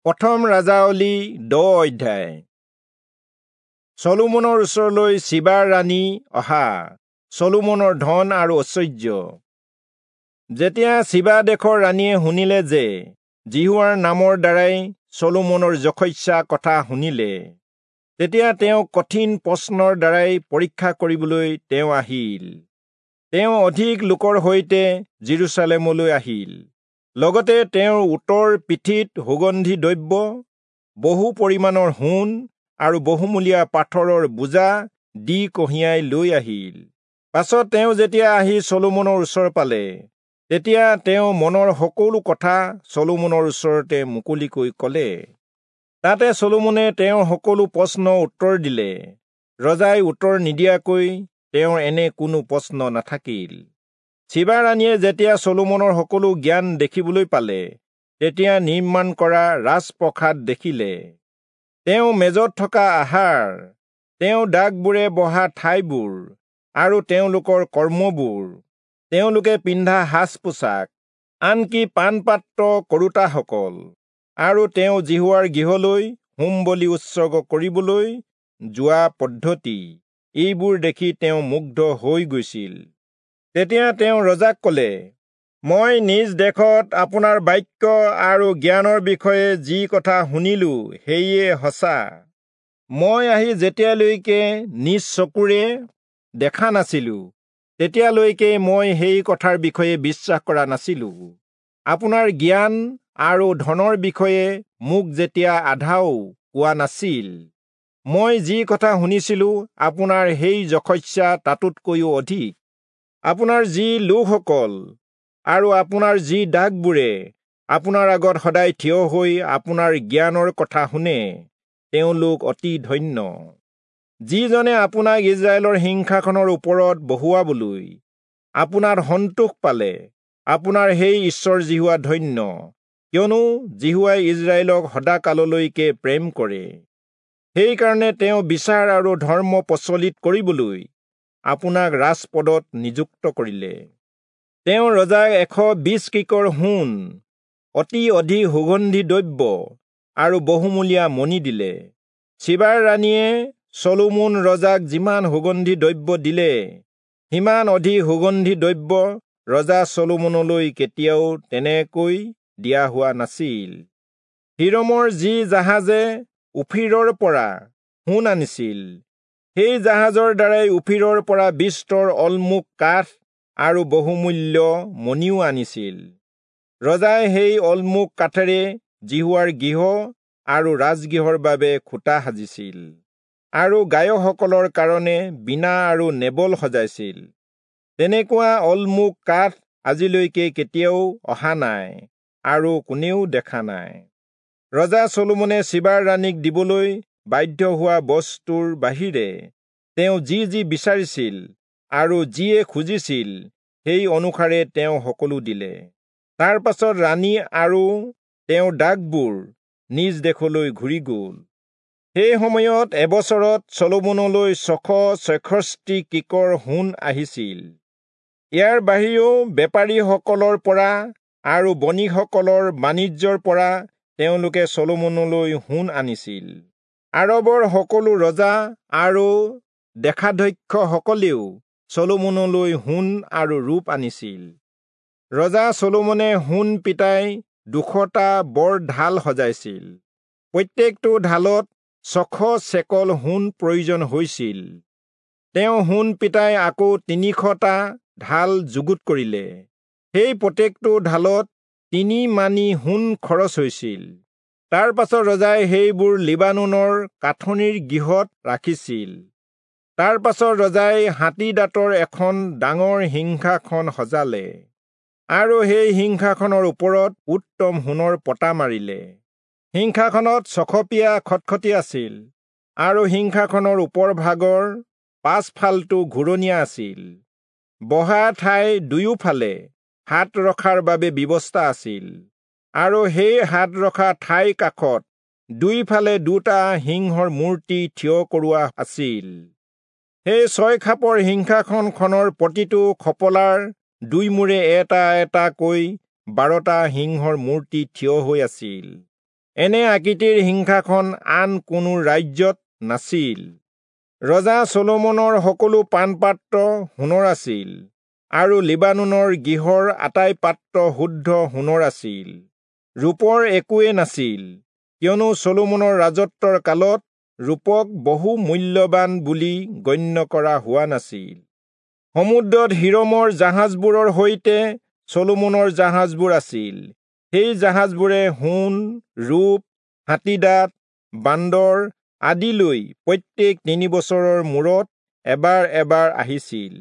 প্ৰথম ৰাজাৱলী 10 অধ্যায়। চলোমনৰ ওচৰলৈ চিবাৰ ৰাণী অহা। চলোমনৰ ধন আৰু ঐশ্বৰ্য। যেতিয়া চিবা দেশৰ ৰাণীয়ে শুনিলে যে যিহোৱাৰ নামৰ দ্বাৰাই চলোমনৰ যশস্যা কথা শুনিলে, তেতিয়া তেওঁ কঠিন প্ৰশ্নৰ দ্বাৰাই পৰীক্ষা কৰিবলৈ তেওঁ আহিল। তেওঁ অধিক লোকৰ সৈতে যিৰূচালেমলৈ আহিল। লগতে তেওঁৰ উটৰ পিঠিত সুগন্ধি দ্ৰব্য, বহু পৰিমাণৰ সোণ আৰু বহুমূলীয়া পাথৰৰ বোজা দি কঢ়িয়াই লৈ আহিল। পাছত তেওঁ যেতিয়া আহি চলোমনৰ ওচৰ পালে, তেতিয়া তেওঁ মনৰ সকলো কথা চলোমনৰ ওচৰতে মুকলিকৈ ক'লে। তাতে চলোমনে তেওঁৰ সকলো প্ৰশ্ন উত্তৰ দিলে। ৰজাই উত্তৰ নিদিয়াকৈ তেওঁৰ এনে কোনো প্ৰশ্ন নাথাকিল। চিবা ৰাণীয়ে যেতিয়া চলোমনৰ সকলো জ্ঞান দেখিবলৈ পালে, তেতিয়া নিৰ্মাণ কৰা ৰাজপ্ৰসাদ দেখিলে, তেওঁ মেজত থকা আহাৰ, তেওঁ দাগবোৰে বহা ঠাইবোৰ আৰু তেওঁলোকৰ কৰ্মবোৰ, তেওঁলোকে পিন্ধা সাজ পোছাক, আনকি পানপাত্ৰ কৰোতাসকল, আৰু তেওঁ যিহোৱাৰ গৃহলৈ হোম বলি উৎসৰ্গ কৰিবলৈ যোৱা পদ্ধতি, এইবোৰ দেখি তেওঁ মুগ্ধ হৈ গৈছিল। তেতিয়া তেওঁ ৰজাক ক'লে, মই নিজ দেশত আপোনাৰ বাক্য আৰু জ্ঞানৰ বিষয়ে যি কথা শুনিলো সেয়ে সঁচা। মই আহি যেতিয়ালৈকে নিজ চকুৰে দেখা নাছিলো, তেতিয়ালৈকে মই সেই কথাৰ বিষয়ে বিশ্বাস কৰা নাছিলো। আপোনাৰ জ্ঞান আৰু ধনৰ বিষয়ে মোক যেতিয়া আধাও কোৱা নাছিল, মই যি কথা শুনিছিলো আপোনাৰ সেই যশস্যা তাতোতকৈও অধিক। আপোনাৰ যি লোকসকল আৰু আপোনাৰ যি দাসবোৰে আপোনাৰ আগত সদায় থিয় হৈ আপোনাৰ জ্ঞানৰ কথা শুনে, তেওঁলোক অতি ধন্য। যিজনে আপোনাক ইজৰাইলৰ সিংহাসনৰ ওপৰত বহুৱাবলৈ আপোনাৰ সন্তোষ পালে, আপোনাৰ সেই ঈশ্বৰ যিহোৱা ধন্য, কিয়নো যিহোৱাই ইজৰাইলক সদাকাললৈকে প্ৰেম কৰে। সেইকাৰণে তেওঁ বিচাৰ আৰু ধৰ্ম প্ৰচলিত কৰিবলৈ আপোনাক ৰাজপদত নিযুক্ত কৰিলে। তেওঁ ৰজাক 120 কিকৰ সোণ, অতি অধিক সুগন্ধি দ্ৰব্য আৰু বহুমূলীয়া মণি দিলে। চিবাৰ ৰাণীয়ে চলোমন ৰজাক যিমান সুগন্ধি দ্ৰব্য দিলে, সিমান অধিক সুগন্ধি দ্ৰব্য ৰজা চলোমনলৈ কেতিয়াও তেনেকৈ দিয়া হোৱা নাছিল। হিৰমৰ যি জাহাজে ওফিৰৰ পৰা সোণ আনিছিল, সেই জাহাজৰ দ্বাৰাই ওফিৰৰ পৰা বিস্তৰ অলমুখ কাঠ আৰু বহুমূল্য মণিও আনিছিল। ৰজাই সেই অলমুখ কাঠেৰে যিহোৱাৰ গৃহ আৰু ৰাজগৃহৰ বাবে খুঁটা সাজিছিল আৰু গায়কসকলৰ কাৰণে বীণা আৰু নেবল সজাইছিল। তেনেকুৱা অলমুখ কাঠ আজিলৈকে কেতিয়াও অহা নাই আৰু কোনেও দেখা নাই। ৰজা চলোমনে চিবাৰ ৰাণীক দিবলৈ বাধ্য হোৱা বস্তুৰ বাহিৰে তেওঁ যি যি বিচাৰিছিল আৰু যিয়ে খুজিছিল, সেই অনুসাৰে তেওঁ সকলো দিলে। তাৰ পাছত ৰাণী আৰু তেওঁৰ দাসবোৰ নিজ দেশলৈ ঘূৰি গ'ল। সেই সময়ত এবছৰত চলোমনলৈ 666 কিকৰ সোণ আহিছিল। ইয়াৰ বাহিৰেও বেপাৰীসকলৰ পৰা আৰু বণিকসকলৰ বাণিজ্যৰ পৰা তেওঁলোকে চলোমনলৈ সোণ আনিছিল। আৰবৰ সকলো ৰজা আৰু দেশাধ্যক্ষসকলেও চলোমনলৈ সোণ আৰু ৰূপ আনিছিল। ৰজা চলোমনে সোণ পিটাই 200টা বৰ ঢাল সজাইছিল। প্ৰত্যেকটো ঢালত 600 চেকল সোণ প্ৰয়োজন হৈছিল। তেওঁ সোণ পিটাই আকৌ 300টা ঢাল যুগুত কৰিলে। সেই প্ৰত্যেকটো ঢালত 3 মানি সোণ খৰচ হৈছিল। তাৰ পাছত ৰজাই সেইবোৰ লিবানোনৰ কাঠনিৰ গৃহত ৰাখিছিল। তাৰ পাছত ৰজাই হাতী দাঁতৰ এখন ডাঙৰ সিংহাসন সজালে আৰু সেই সিংহাসনৰ ওপৰত উত্তম সোণৰ পতা মাৰিলে। সিংহাসনত ছখপীয়া খটখটি আছিল আৰু সিংহাসনৰ ওপৰ ভাগৰ পাছফালটো ঘূৰণীয়া আছিল। বহা ঠাই দুয়োফালে হাত ৰখাৰ বাবে ব্যৱস্থা আছিল আৰু সেই হাত ৰখা ঠাইৰ কাষত দুইফালে দুটা সিংহৰ মূৰ্তি থিয় কৰোৱা আছিল। সেই 6 খাপৰ সিংহাসনখনৰ প্ৰতিটো খপলাৰ দুই মূৰে এটা এটাকৈ 12টা সিংহৰ মূৰ্তি থিয় হৈ আছিল। এনে আকৃতিৰ সিংহাসন আন কোনো ৰাজ্যত নাছিল। ৰজা চলোমনৰ সকলো পানপাত্ৰ সোণৰ আছিল আৰু লিবানোনৰ গৃহৰ আটাই পাত্ৰ শুদ্ধ সোণৰ আছিল। ৰূপৰ একোৱেই নাছিল, কিয়নো চলোমনৰ ৰাজত্বৰ কালত ৰূপক বহু মূল্যৱান বুলি গণ্য কৰা হোৱা নাছিল। সমুদ্ৰত হিৰমৰ জাহাজবোৰৰ সৈতে চলোমনৰ জাহাজবোৰ আছিল। সেই জাহাজবোৰে সোণ, ৰূপ, হাতীদাঁত, বান্দৰ আদি লৈ প্ৰত্যেক 3 বছৰৰ মূৰত এবাৰ এবাৰ আহিছিল।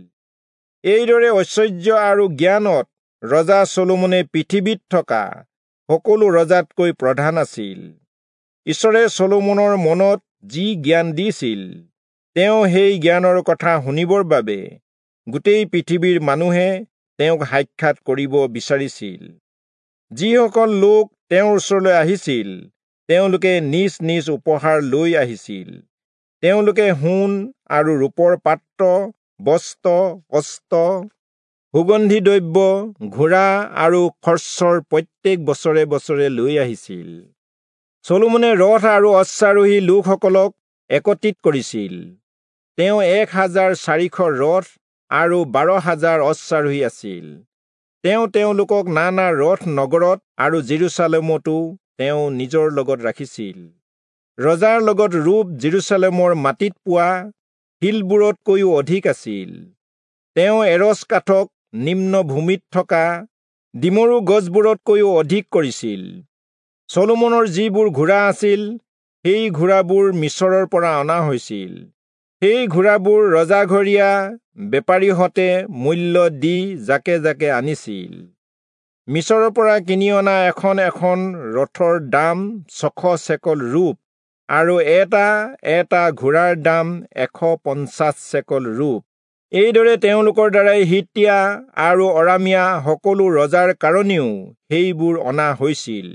এইদৰে ঐশ্বৰ্য আৰু জ্ঞানত ৰজা চলোমনে পৃথিৱীত থকা সকলো ৰজাতকৈ প্ৰধান আছিল। ঈশ্বৰে চলোমনৰ মনত যি জ্ঞান দিছিল, তেওঁ সেই জ্ঞানৰ কথা শুনিবৰ বাবে গোটেই পৃথিৱীৰ মানুহে তেওঁক সাক্ষাৎ কৰিব বিচাৰিছিল। যিসকল লোক তেওঁৰ ওচৰলৈ আহিছিল, তেওঁলোকে নিজ নিজ উপহাৰ লৈ আহিছিল। তেওঁলোকে সোণ আৰু ৰূপৰ পাত্ৰ, বস্ত্ৰ, অস্ত্ৰ, সুগন্ধি দ্ৰব্য, ঘোঁৰা আৰু খৰচৰ প্ৰত্যেক বছৰে বছৰে লৈ আহিছিল। চলোমনে ৰথ আৰু অশ্বাৰোহী লোকসকলক একত্ৰিত কৰিছিল। তেওঁ 1400 ৰথ আৰু 12000 অশ্বাৰোহী আছিল। তেওঁ তেওঁলোকক নানা ৰথ নগৰত আৰু জেৰুচালেমতো তেওঁ নিজৰ লগত ৰাখিছিল। ৰজাৰ লগত ৰূপ জেৰুচালেমৰ মাটিত পোৱা শিলবোৰতকৈও অধিক আছিল। তেওঁ এৰচ কাঠক নিম্ন ভূমিত থকা ডিমৰু গছবোৰতকৈও অধিক কৰিছিল। চলোমনৰ যিবোৰ ঘোঁৰা আছিল, সেই ঘোঁৰাবোৰ মিছৰৰ পৰা অনা হৈছিল। সেই ঘোঁৰাবোৰ ৰজাঘৰীয়া বেপাৰীহঁতে মূল্য দি জাকে জাকে আনিছিল। মিছৰৰ পৰা কিনি অনা এখন এখন ৰথৰ দাম 600 চেকল ৰূপ আৰু এটা এটা ঘোঁৰাৰ দাম 150 চেকল ৰূপ। এইদৰে তেওঁলোকৰ দ্বাৰাই হিত্তীয়া আৰু অৰামীয়া সকলো ৰজাৰ কাৰণেও সেইবোৰ অনা হৈছিল।